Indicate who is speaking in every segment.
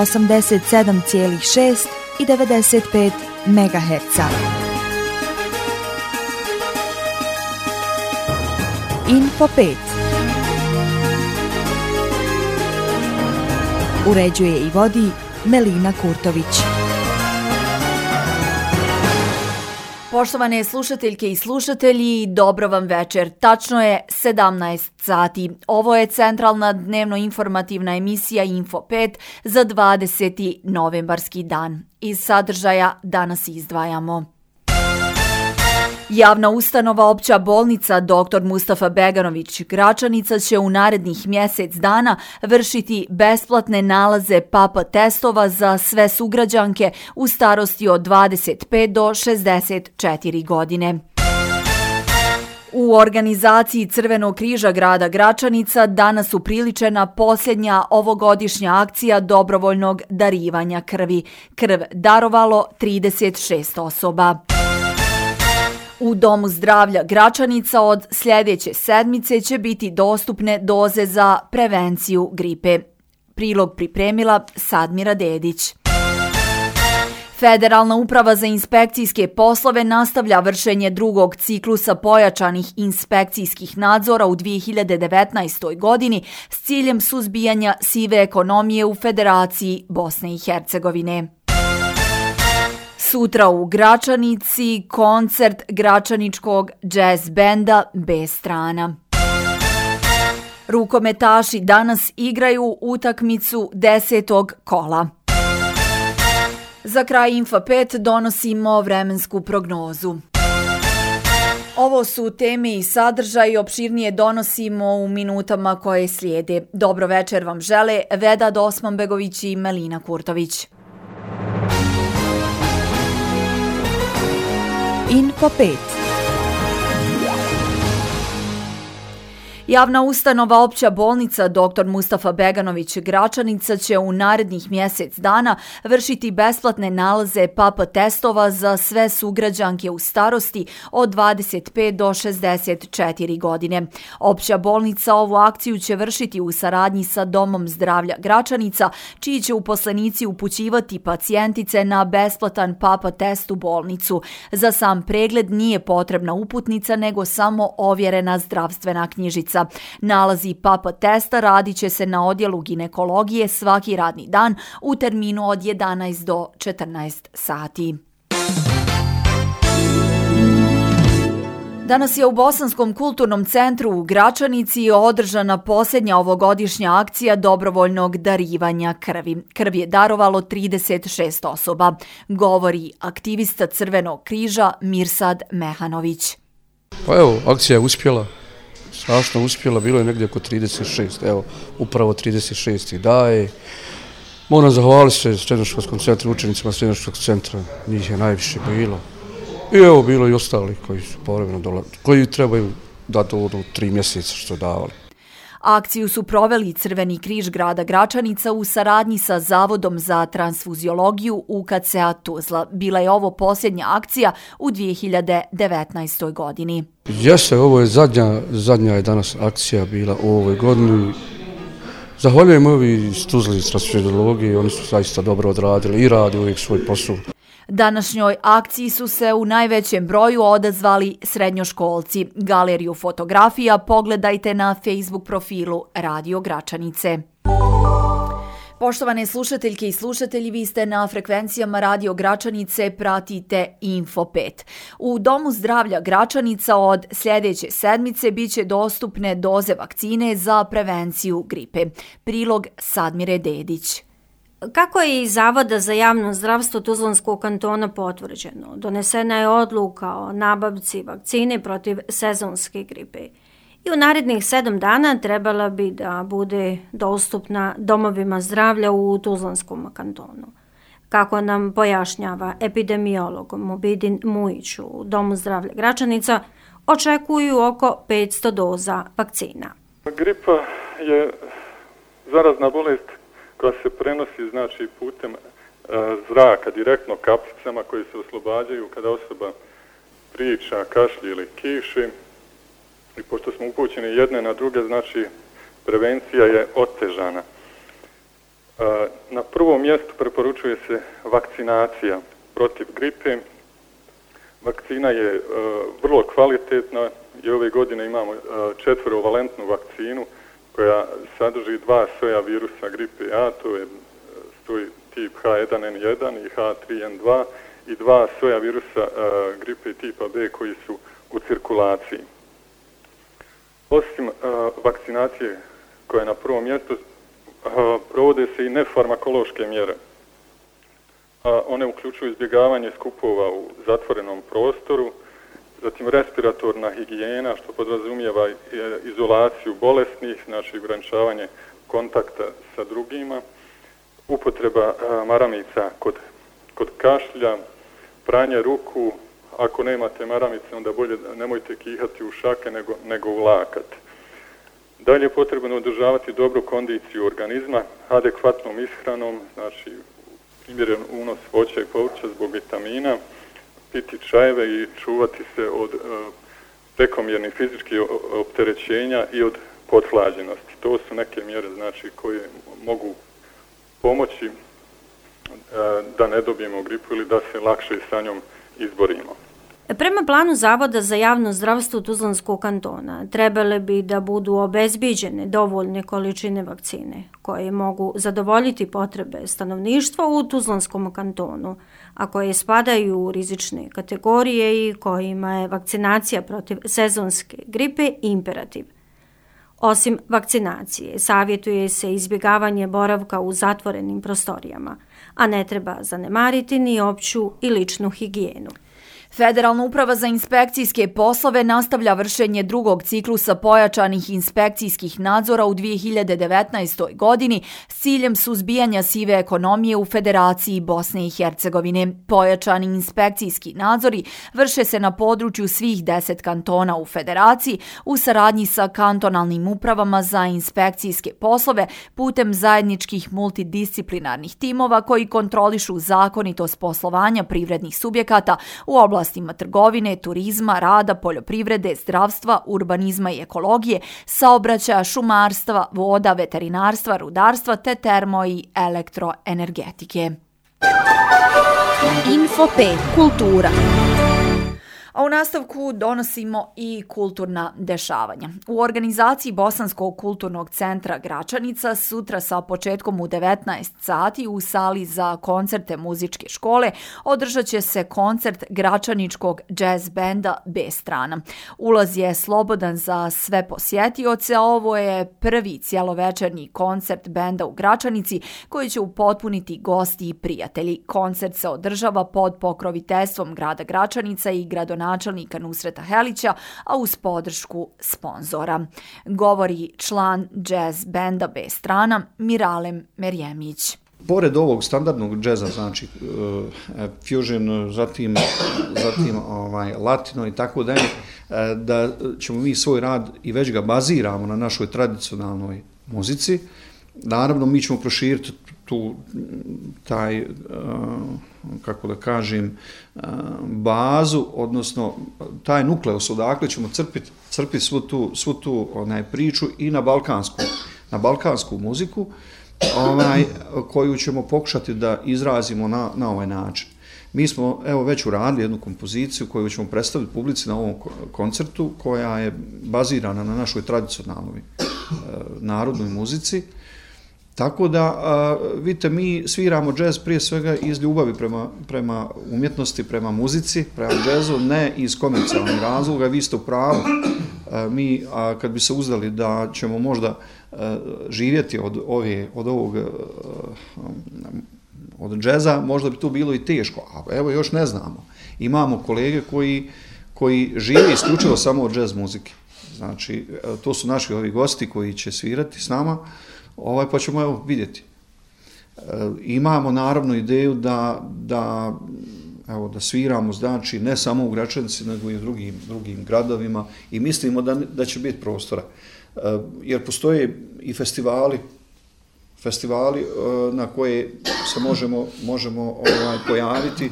Speaker 1: 87,6 i 95 MHz. Info 5. Uređuje i vodi Melina Kurtović.
Speaker 2: Poštovane slušateljke i slušatelji, dobro vam večer. Tačno je 17 sati. Ovo je centralna dnevno-informativna emisija Info 5 za 20. novembarski dan. Iz sadržaja danas izdvajamo. Javna ustanova Opća bolnica Dr. Mustafa Beganović Gračanica će u narednih mjesec dana vršiti besplatne nalaze PAPA testova za sve sugrađanke u starosti od 25 do 64 godine. U organizaciji Crvenog križa grada Gračanica danas upriličena posljednja ovogodišnja akcija dobrovoljnog darivanja krvi. Krv darovalo 36 osoba. U Domu zdravlja Gračanica od sljedeće sedmice će biti dostupne doze za prevenciju gripe. Prilog pripremila Sadmira Dedić. Federalna uprava za inspekcijske poslove nastavlja vršenje drugog ciklusa pojačanih inspekcijskih nadzora u 2019. godini s ciljem suzbijanja sive ekonomije u Federaciji Bosne i Hercegovine. Sutra u Gračanici koncert gračaničkog džez benda B-strana. Rukometaši danas igraju utakmicu 10. kola. Za kraj Info 5 donosimo vremensku prognozu. Ovo su teme i sadržaj, opširnije donosimo u minutama koje slijede. Dobro večer vam žele Vedad Osmanbegović i Melina Kurtović.
Speaker 1: Info 5.
Speaker 2: Javna ustanova Opća bolnica Dr. Mustafa Beganović Gračanica će u narednih mjesec dana vršiti besplatne nalaze PAPA testova za sve sugrađanke u starosti od 25 do 64 godine. Opća bolnica ovu akciju će vršiti u saradnji sa Domom zdravlja Gračanica, čiji će uposlenici upućivati pacijentice na besplatan PAPA test u bolnicu. Za sam pregled nije potrebna uputnica, nego samo ovjerena zdravstvena knjižica. Nalazi PAPA testa radit će se na odjelu ginekologije svaki radni dan u terminu od 11 do 14 sati. Danas je u Bosanskom kulturnom centru u Gračanici održana posljednja ovogodišnja akcija dobrovoljnog darivanja krvi. Krv je darovalo 36 osoba, govori aktivista Crvenog križa Mirsad Mehanović.
Speaker 3: Pa evo, akcija je uspjela. Strašno uspjela, bilo je negdje oko 36, evo, upravo 36 i daje. Moram zahvaliti se Srednjoškolskom centru, učenicima Srednjoškolskog centra, njih je najviše bilo. I evo, bilo i ostali koji su povremeno dolazili, koji trebaju da dođu 3 mjeseca što davali.
Speaker 2: Akciju su proveli Crveni križ grada Gračanica u saradnji sa Zavodom za transfuziologiju UKC-a Tuzla. Bila je ovo posljednja akcija u 2019. godini.
Speaker 3: Jeste, ovo je zadnja je danas akcija bila u ovoj godini. Zahvaljujem ovi iz Tuzla iz transfuziologije, oni su zaista dobro odradili i radi uvijek svoj posao.
Speaker 2: Današnjoj akciji su se u najvećem broju odazvali srednjoškolci. Galeriju fotografija pogledajte na Facebook profilu Radio Gračanice. Poštovane slušateljke i slušatelji, vi ste na frekvencijama Radio Gračanice, pratite Info 5. U Domu zdravlja Gračanica od sljedeće sedmice biće dostupne doze vakcine za prevenciju gripe. Prilog Sadmire Dedić.
Speaker 4: Kako je iz Zavoda za javno zdravstvo Tuzlanskog kantona potvrđeno, donesena je odluka o nabavci vakcine protiv sezonske gripe i u narednih 7 dana trebala bi da bude dostupna domovima zdravlja u Tuzlanskom kantonu. Kako nam pojašnjava epidemiolog Mubidin Mujić u Domu zdravlja Gračanica, očekuju oko 500 doza vakcina.
Speaker 5: Gripa je zarazna bolest koja se prenosi znači putem zraka, direktno kapljicama koje se oslobađaju kada osoba priča, kašlje ili kiši. I pošto smo upućeni jedne na druge, znači prevencija je otežana. Na prvom mjestu preporučuje se vakcinacija protiv gripe. Vakcina je vrlo kvalitetna i ove godine imamo 4-valentnu vakcinu koja sadrži 2 soja virusa gripe A, to je tip H1N1 i H3N2 i 2 soja virusa gripe tipa B koji su u cirkulaciji. Osim vakcinacije koja je na prvom mjestu, provode se i nefarmakološke mjere. One uključuju izbjegavanje skupova u zatvorenom prostoru, zatim respiratorna higijena, što podrazumijeva izolaciju bolesnih, znači ograničavanje kontakta sa drugima, upotreba maramica kod kašlja, pranje ruku, ako nemate maramice, onda bolje nemojte kihati u šake nego u lakat. Dalje je potrebno održavati dobru kondiciju organizma, adekvatnom ishranom, znači primjeren unos voća i povrća zbog vitamina, piti čajeve i čuvati se od prekomjernih fizičkih opterećenja i od pothlađenosti. To su neke mjere, znači, koje mogu pomoći da ne dobijemo gripu ili da se lakše sa njom izborimo.
Speaker 4: Prema planu Zavoda za javno zdravstvo Tuzlanskog kantona trebale bi da budu obezbiđene dovoljne količine vakcine koje mogu zadovoljiti potrebe stanovništva u Tuzlanskom kantonu, a koje spadaju u rizične kategorije i kojima je vakcinacija protiv sezonske gripe imperativ. Osim vakcinacije, savjetuje se izbjegavanje boravka u zatvorenim prostorijama, a ne treba zanemariti ni opću i ličnu higijenu.
Speaker 2: Federalna uprava za inspekcijske poslove nastavlja vršenje drugog ciklusa pojačanih inspekcijskih nadzora u 2019. godini s ciljem suzbijanja sive ekonomije u Federaciji Bosne i Hercegovine. Pojačani inspekcijski nadzori vrše se na području svih 10 kantona u Federaciji u saradnji sa kantonalnim upravama za inspekcijske poslove putem zajedničkih multidisciplinarnih timova koji kontrolišu zakonitost poslovanja privrednih subjekata u oblastima trgovine, turizma, rada, poljoprivrede, zdravstva, urbanizma i ekologije, saobraćaja, šumarstva, voda, veterinarstva, rudarstva te termo- i elektroenergetike.
Speaker 1: Info 5. Kultura.
Speaker 2: A u nastavku donosimo i kulturna dešavanja. U organizaciji Bosanskog kulturnog centra Gračanica sutra sa početkom u 19 sati u sali za koncerte muzičke škole održat će se koncert Gračaničkog jazz benda B strana. Ulaz je slobodan za sve posjetioce, a ovo je prvi cjelovečernji koncert benda u Gračanici koji će upotpuniti gosti i prijatelji. Koncert se održava pod pokroviteljstvom grada Gračanica i gradonačelnika Nusreta Helića, a uz podršku sponzora. Govori član jazz benda B strana Miralem Merjemić.
Speaker 6: Pored ovog standardnog džeza, znači fusion, zatim latino i tako dalje, da ćemo mi svoj rad i već ga baziramo na našoj tradicionalnoj muzici. Naravno, mi ćemo proširiti taj, kako da kažem, bazu, odnosno taj nukleus odakle ćemo crpiti svu tu priču i na balkansku muziku, koju ćemo pokušati da izrazimo na ovaj način. Mi smo već uradili jednu kompoziciju koju ćemo predstaviti publici na ovom koncertu, koja je bazirana na našoj tradicionalnoj narodnoj muzici. Tako da, vidite, mi sviramo džez prije svega iz ljubavi prema umjetnosti, prema muzici, prema džezu, ne iz komercijalnih razloga. Vi ste u pravu. Mi, kad bi se uzdali da ćemo možda živjeti od džeza, možda bi to bilo i teško. A evo, još ne znamo. Imamo kolege koji žive isključivo samo od džez muzike. Znači, to su naši ovi gosti koji će svirati s nama, pa ćemo vidjeti. Imamo naravno ideju da sviramo, znači, ne samo u Gračanici, nego i u drugim gradovima i mislimo da će biti prostora. Jer postoje i festivali na koje se možemo pojaviti.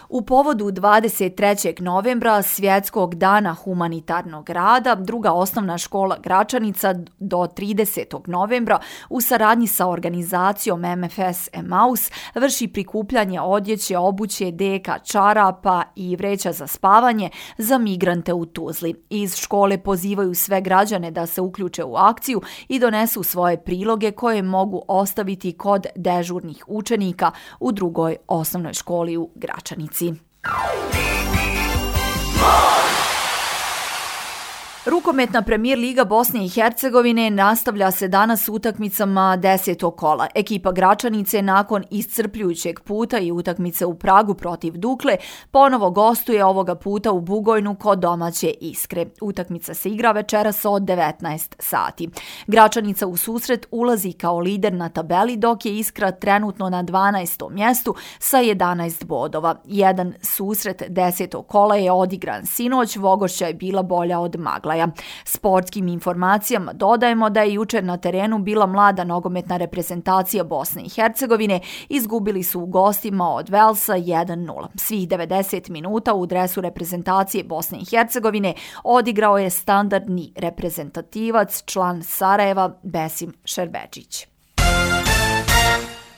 Speaker 2: U povodu 23. novembra, Svjetskog dana humanitarnog rada, druga osnovna škola Gračanica do 30. novembra u saradnji sa organizacijom MFS Emaus vrši prikupljanje odjeće, obuće, deka, čarapa i vreća za spavanje za migrante u Tuzli. Iz škole pozivaju sve građane da se uključe u akciju i donesu svoje priloge koje mogu ostaviti kod dežurnih učenika u drugoj osnovnoj školi u Gračanici. Rukometna Premijer Liga Bosne i Hercegovine nastavlja se danas utakmicama 10. kola. Ekipa Gračanice nakon iscrpljujućeg puta i utakmice u Pragu protiv Dukle ponovo gostuje ovoga puta u Bugojnu kod domaće Iskre. Utakmica se igra večeras od 19 sati. Gračanica u susret ulazi kao lider na tabeli, dok je Iskra trenutno na 12. mjestu sa 11 bodova. Jedan susret 10. kola je odigran sinoć, Vogošća je bila bolja od Maglaja. Sportskim informacijama dodajemo da je jučer na terenu bila mlada nogometna reprezentacija Bosne i Hercegovine, izgubili su u gostima od Velsa 1-0. Svih 90 minuta u dresu reprezentacije Bosne i Hercegovine odigrao je standardni reprezentativac, član Sarajeva Besim Šerbedžić.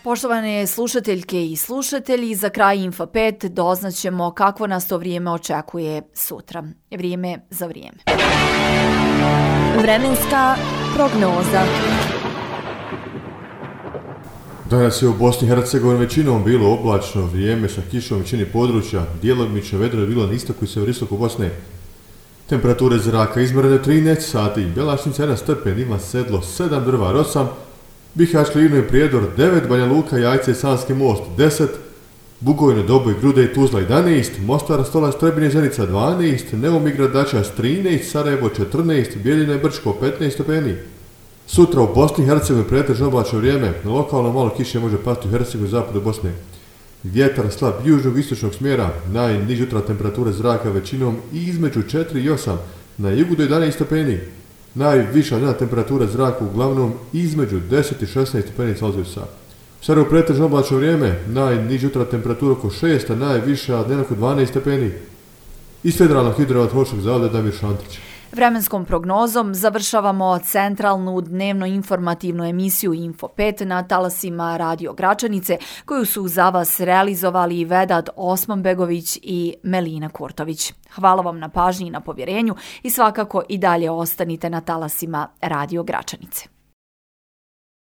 Speaker 2: Poštovane slušateljke i slušatelji, za kraj Info 5 doznaćemo kakvo nas to vrijeme očekuje sutra. Vrijeme za vrijeme.
Speaker 1: Vremenska prognoza.
Speaker 7: Danas je u Bosni i Hercegovini većinom bilo oblačno vrijeme sa kišom u većini područja, djelomično vedro je bilo na istoku i severistoku Bosne. Temperature zraka izmjerene 13 sati, Bjelašnica 1 stepen, Ima Sedlo 7, Drvar 8, Bihać, Livno i Prijedor 9, Banja Luka, Jajce i Sanski most 10, Bugojno, Doboj, Grude i Tuzla 11, Mostar, Stolac, Trebinje, Zenica 12, Neumigrad, Dačas 13, Sarajevo 14, Bijeljina i Brčko 15 stepeni. Sutra u Bosni i Hercegovini pretežno oblačno vrijeme, na lokalno malo kiše može pasti u Hercegovini zapadu Bosne. Vjetar slab južnog i istočnog smjera, najniže jutra temperature zraka većinom između 4 i 8, na jugu do 11 stepeni. Najviša dnevna temperatura zraka uglavnom između 10 i 16 stepeni Celzijusa. U Sarajevu pretežno oblačno vrijeme, najniža jutra temperatura oko 6, a najviša dnevna oko 12 stepeni. Iz Federalnog hidrometeorološkog zavoda Damir Šantić.
Speaker 2: Vremenskom prognozom završavamo centralnu dnevno informativnu emisiju Info 5 na talasima Radio Gračanice, koju su za vas realizovali Vedat Osmanbegović i Melina Kurtović. Hvala vam na pažnji i na povjerenju i svakako i dalje ostanite na talasima Radio Gračanice.